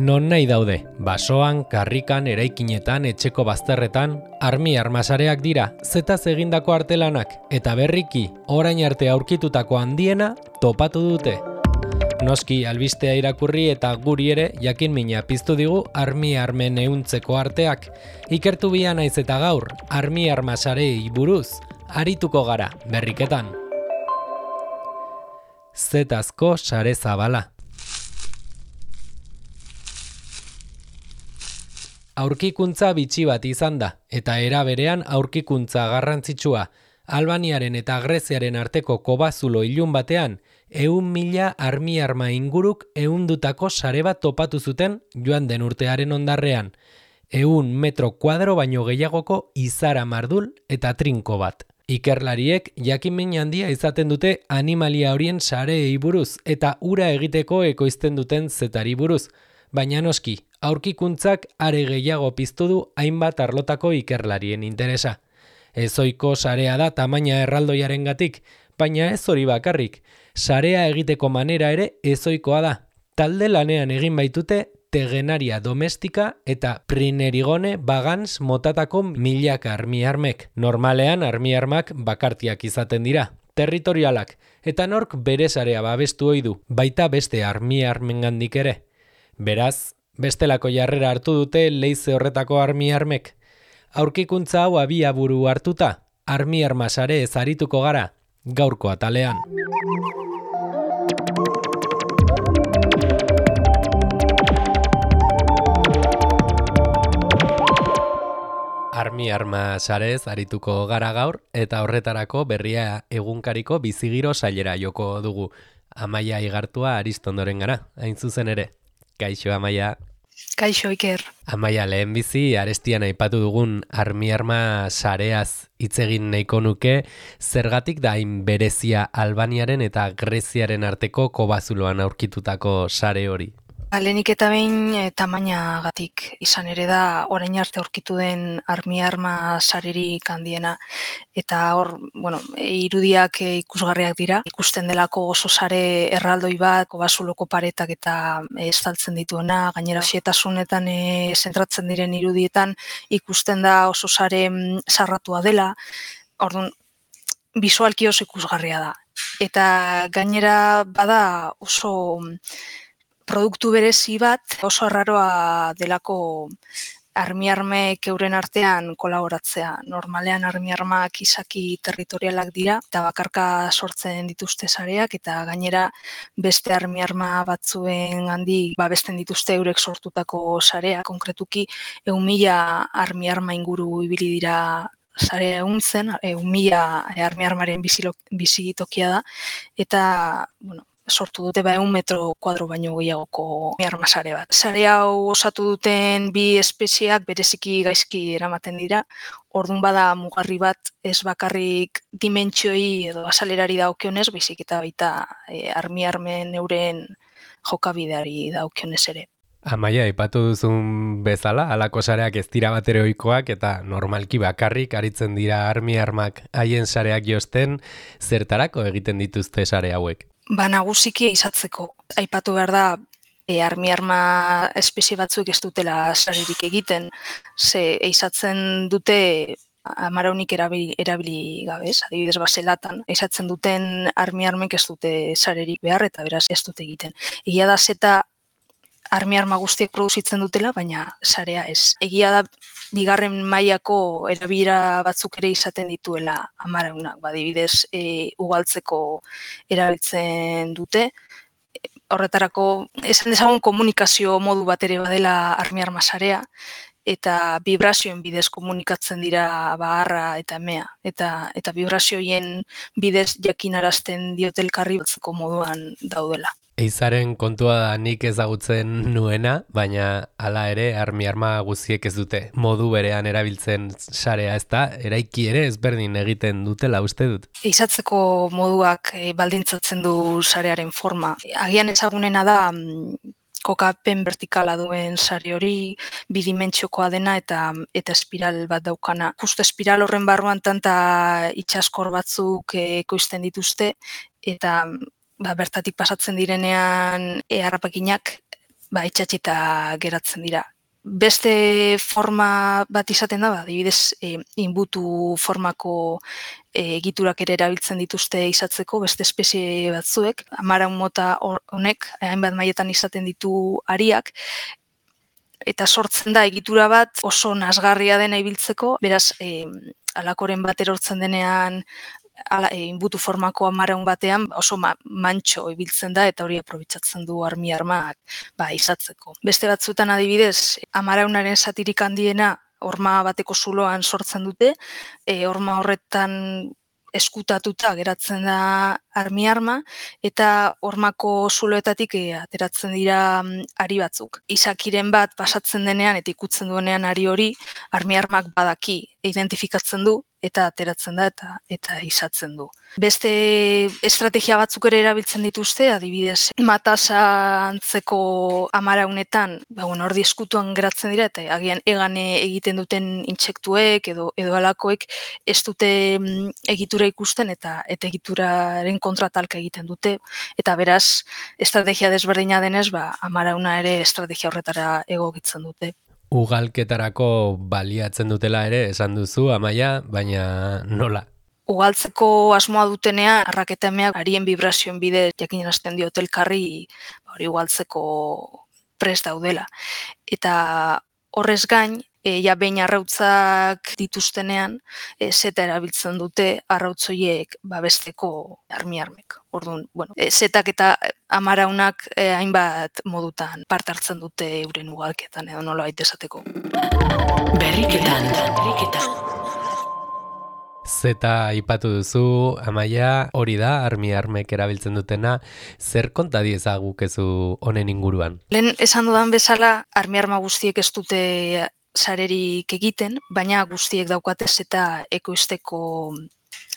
Non nahi daude, basoan, karrikan, eraikinetan, etxeko bazterretan, armi-armasareak dira, zetaz egindako artelanak, eta berriki, orain arte aurkitutako handiena, topatu dute. Noski albistea irakurri eta guri ere jakin mina piztu digu armi-armen ehuntzeko arteak. Ikertu bia naiz eta gaur, armi-armasarei buruz, arituko gara, berriketan. Zetazko sare zabala. Aurkikuntza bitxi bat izan da, eta era berean aurkikuntza garrantzitsua. Albaniaren eta Greziaren arteko kobazulo ilun batean, 100.000 armi-arma inguruk ehundutako sare bat topatu zuten joan den urtearen ondarrean. 100 metro kuadro baino gehiagoko izara mardul eta trinko bat. Ikerlariek jakin-min handia izaten dute animalia horien sareei buruz eta ura egiteko ekoizten duten zetari buruz, baina noski, aurkikuntzak are gehiago piztu du hainbat arlotako ikerlarien interesa. Ezoiko sarea da tamaina erraldoiarengatik, baina ez hori bakarrik. Sarea egiteko manera ere ezoikoa da. Talde lanean egin baitute tegenaria domestika eta prinerigone bagans motatako milaka armi-armek. Normalean armi-armak bakartiak izaten dira, territorialak, eta nork bere sarea babestu ohi du, baita beste armi-armengandik ere. Beraz, bestelako jarrera hartu dute leize horretako armi-armek. Aurkikuntza hau abiaburu hartuta, armi-arma sare ez arituko gara, gaurko atalean. Armi-arma sarez arituko gara gaur, eta horretarako berria egunkariko bizigiro sailera joko dugu. Amaia Igartua Aristondoren gara, hain zuzen ere. Kaixo, Amaia. Kaixo, Iker. Amaia, lehenbizi arestian aipatu dugun armi-arma sareaz hitz egin nahiko nuke, zergatik da hain berezia Albaniaren eta Greziaren arteko kobazuloan aurkitutako sare hori? Lehenik eta behin tamainagatik izan ere da orain arte aurkitu den armi-arma sarerik handiena. Eta hor, irudiak ikusgarriak dira. Ikusten delako oso sare erraldoi bat, kobazuloko paretak eta estaltzen dituena, gainera xetasunetan zentratzen diren irudietan ikusten da oso sare sarratua dela. Orduan, bisualki oso ikusgarria da. Eta gainera bada oso produktu berezi bat, oso arraroa delako armi-armek euren artean kolaboratzea. Normalean armi-armak izaki territorialak dira eta bakarka sortzen dituzte sareak eta gainera beste armi-arma batzuen handik babesten dituzte eurek sortutako sareak. Konkretuki 100.000 armi-arma inguru ibili dira sarea ehuntzen, 100.000 armi-armaren bizitokia da eta, sortu dute 100 metro kuadro baino gehiagoko arma sare bat. Sare hau osatu duten bi espezieak bereziki gaizki eramaten dira. Orduan bada mugarri bat ez bakarrik dimentsioi edo azalerari daukionez, baizik eta baita armi-armen euren jokabideari daukionez ere. Amaia, aipatu duzun bezala, halako sareak ez dira batere ohikoak eta normalki bakarrik aritzen dira armi-armak haien sareak josten, zertarako egiten dituzte sare hauek? Nagusiki izatzeko. Aipatu behar da, armi-arma espezie batzuk ez dutela sarerik egiten, ze izatzen dute amaraunik erabili gabe, adibidez baselatan, izatzen duten armi-armek ez dute sarerik behar eta beraz ez dute egiten. Egia da zeta armi-arma guztiek produzitzen dutela, baina sarea ez. Egia da bigarren mailako erabilera batzuk ere izaten dituela amaraunak, adibidez ugaltzeko erabiltzen dute. Horretarako, esan dezagun komunikazio modu bat ere badela armi-arma sarea, eta vibrazioen bidez komunikatzen dira baharra eta emea. Eta vibrazioen bidez jakinarazten diote elkarri batzeko moduan daudela. Eizaren kontua da nik ezagutzen nuena, baina hala ere armi-arma guztiek ez dute modu berean erabiltzen sarea, ez da, eraiki ere ezberdin egiten dutela uste dut. Eizatzeko moduak baldintzatzen du sarearen forma. Agian ezagunena da kokapen vertikala duen sare hori, bidimentsiokoa dena eta espiral bat daukana. Justo espiral horren barruan tanta itsaskor batzuk ekoizten dituzte eta bertatik pasatzen direnean harrapakinak itxatxita geratzen dira. Beste forma bat izaten da, adibidez, inbutu formako egiturak ere erabiltzen dituzte izatzeko beste espezie batzuek. Amaraun mota honek hainbat mailetan izaten ditu hariak, eta sortzen da egitura bat oso nasgarria dena ibiltzeko, beraz, alakoren bat erortzen denean, inbutu formako amaraun batean oso mantxo ibiltzen da eta hori aprobetxatzen du armak izatzeko. Beste batzuetan adibidez, amaraunaren zatirik handiena horma bateko zuloan sortzen dute, horma horretan eskutatuta geratzen da arma eta hormako zuloetatik ateratzen dira ari batzuk. Izakiren bat pasatzen denean eta ikutzen duenean ari hori, armak badaki identifikatzen du eta ateratzen da eta izatzen du. Beste estrategia batzuk ere erabiltzen dituzte, adibidez, matasa antzeko amaraunetan, hor eskutuan geratzen dira eta agian egane egiten duten intsektuek edo alakoek ez dute egitura ikusten eta egituraren kontra talka egiten dute, eta beraz, estrategia desberdina denez, amarauna ere estrategia horretara egokitzen dute. Ugalketarako baliatzen dutela ere esan duzu, Amaia, baina nola? Ugaltzeko asmoa dutenean, arraketa emeak harien vibrazioen bidez jakinarazten diote elkarri hori ugaltzeko prest daudela. Eta horrez gain, behin arrautzak dituztenean, zeta erabiltzen dute arrautzoiek babesteko armek. Orduan, zetak eta amaraunak hainbat modutan parte hartzen dute euren ugalketan edo nola baita esateko. Berriketan. Zeta aipatu duzu, Amaia, hori da, armek erabiltzen dutena, zer konta diezagukezu honen inguruan? Lehen esan dudan bezala, arma guztiek ez dute sarerik egiten, baina guztiek daukate zeta ekoizteko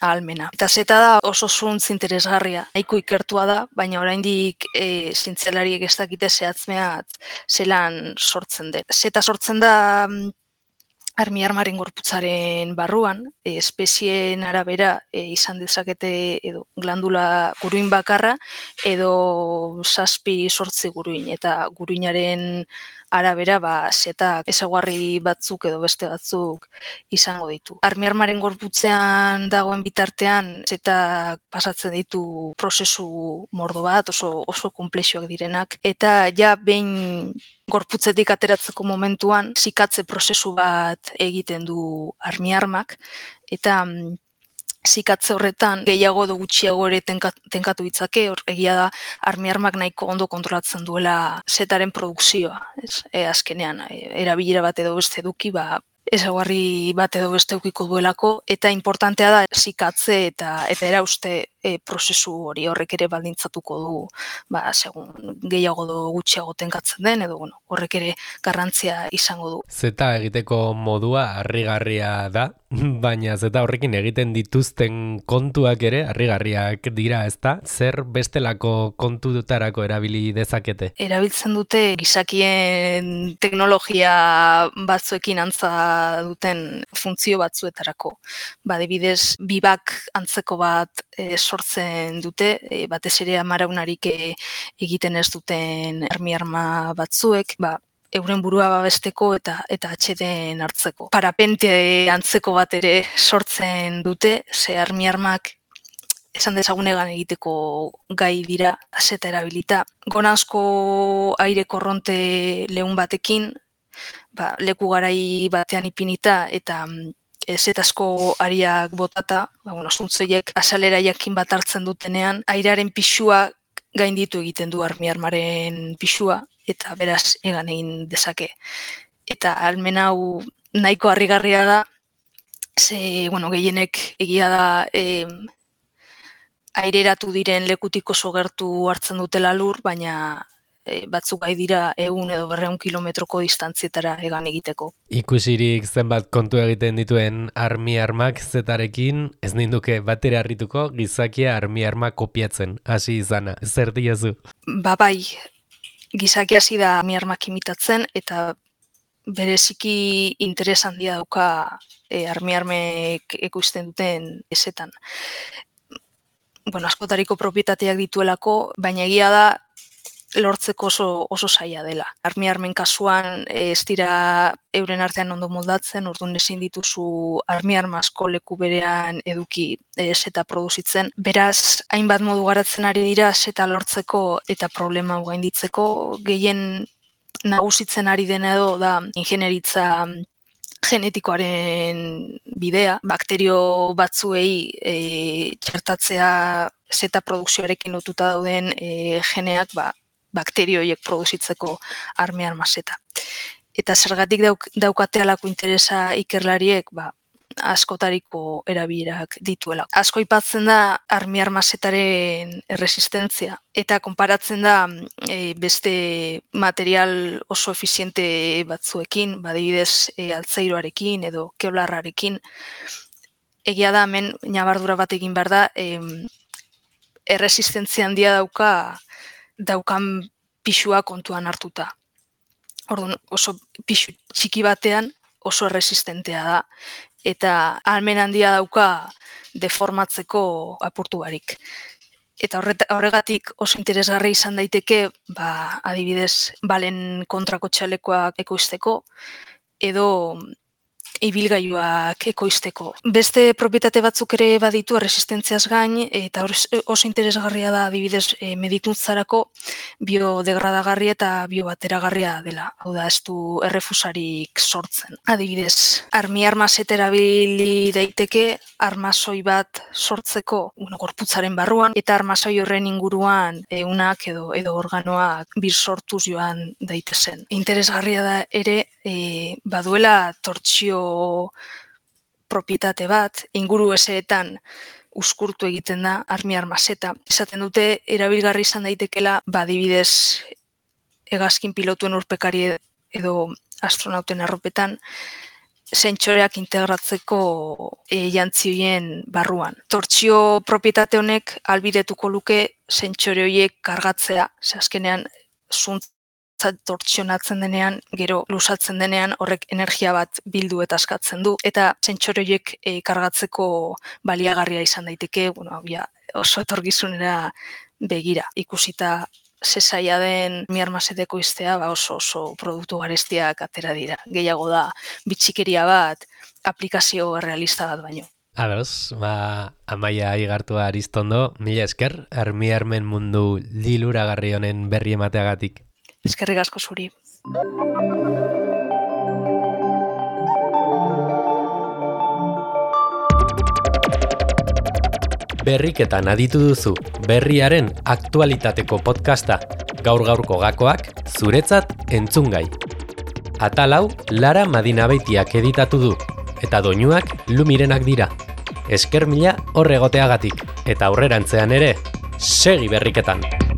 ahalmena. Eta zeta da oso zuntz interesgarria, nahiko ikertua da, baina oraindik zientzialariek ez dakite zehatzmeat zelan sortzen den. Zeta sortzen da armaren gorputzaren barruan, espezieen arabera izan dezakete edo glandula guruin bakarra edo 7-8 guruin, eta guruinaren arabera zetak ezaugarri batzuk edo beste batzuk izango ditu. Armaren gorputzean dagoen bitartean zetak pasatzen ditu prozesu mordo bat, oso konplexuak direnak, eta behin gorputzetik ateratzeko momentuan zikatze prozesu bat egiten du armak, eta zikatze horretan gehiago edo gutxiago ere tenkatu ditzake, egia da armak nahiko ondo kontrolatzen duela zetaren produkzioa. Azkenean, erabilera bat edo beste eduki, ezaugarri bat edo beste edukiko duelako, eta importantea da zikatze eta erauste prozesu hori horrek ere baldintzatuko du, segun gehiago edo gutxiago tenkatzen den, edo horrek ere garrantzia izango du. Zeta egiteko modua harrigarria da, baina zeta horrekin egiten dituzten kontuak ere harrigarriak dira, ezta? Zer bestelako kontutarako erabili dezakete? Erabiltzen dute gizakien teknologia batzuekin antza duten funtzio batzuetarako. Adibidez, bibak antzeko bat sortzen dute, batez ere amaraunarik egiten ez duten arma batzuek, euren burua babesteko eta atxeden hartzeko. Parapente antzeko bat ere sortzen dute, ze armak esan dezagunegan egiteko gai dira, zeta erabilita. Gonazko aire korronte lehun batekin, leku garai batean ipinita eta zetazko ariak botata, zuntzoiek azalera jakin bat hartzen dutenean, airearen pixua gainditu egiten du armaren pixua, eta beraz egan egin dezake. Eta ahalmen hau nahiko harrigarria da, ze, gehienek egia da aireratu diren lekutik oso gertu hartzen dutela lur, baina batzuk gai dira 100 edo 200 kilometroko distantzietara egan egiteko. Ikusirik zenbat kontu egiten dituen armak zetarekin, ez ninduke batera harrituko gizakia armak kopiatzen, hasi izana. Zer diozu? Bai, gizakia hasi da armak imitatzen, eta bereziki interes handia dauka armek ekoizten duten ezetan. Askotariko propietateak dituelako, baina egia da lortzeko oso zaila dela. Armiarmen kasuan ez dira euren artean ondo moldatzen, orduan ezin dituzu armiarma asko leku berean eduki seta produzitzen. Beraz, hainbat modu garatzen ari dira seta lortzeko eta problema gainditzeko. Gehien nagusitzen ari dena edo da ingenieritza genetikoaren bidea, bakterio batzuei txertatzea seta produkzioarekin lotuta dauden geneak bakterio horiek produzitzeko armiarma seta. Eta zergatik daukate halako interesa ikerlariek, askotariko erabilerak dituela. Asko aipatzen da armiarma setaren erresistentzia eta konparatzen da beste material oso efiziente batzuekin, adibidez altzairoarekin edo kevlarrarekin. Egia da hemen ñabardura bat egin behar da, erresistentzia handia daukan pisua kontuan hartuta. Orduan, oso pisu txiki batean oso erresistentea da eta ahalmen handia dauka deformatzeko apurtu barik. Eta horregatik oso interesgarri izan daiteke, adibidez, balen kontrako txalekoak ekoizteko edo ibilgailuak ekoizteko. Beste propietate batzuk ere baditu erresistentziaz gain, eta oso interesgarria da adibidez medikuntzarako biodegradagarria eta biobateragarria dela. Hau da, ez du errefusarik sortzen. Adibidez, armiarma seta erabili daiteke armasoi bat sortzeko gorputzaren barruan, eta armasoi horren inguruan ehunak edo organoak birsortuz joan daitezen. Interesgarria da ere, baduela tortsio propietate bat, inguru eseetan uzkurtu egiten da armiarma seta. Esaten dute, erabilgarri izan daitekela, adibidez, hegazkin pilotuen urpekari edo astronauten arropetan, zentsoreak integratzeko jantzioien barruan. Tortsio propietate honek albidetuko luke zentsore horiek kargatzea, azkenean tortsionatzen denean, gero lusatzen denean horrek energia bat bildu eta askatzen du, eta zentsore horiek kargatzeko baliagarria izan daiteke, oso etorkizunera begira. Ikusita zezaila den armiarma seta ekoiztea, oso produktu garestiak atera dira. Gehiago da, bitxikeria bat, aplikazio realista bat baino. Ados, Amaia Igartua Aristondo, mila esker, armiarmen mundu liluragarri honen berri emateagatik. Eskerrik asko zuri. Berriketan aditu duzu, berriaren aktualitateko podcasta, gaur-gaurko gakoak, zuretzat entzungai. Atal hau Lara Madinabeitiak editatu du, eta doinuak Lumirenak dira. Esker mila horregoteagatik, eta aurrerantzean ere, segi berriketan!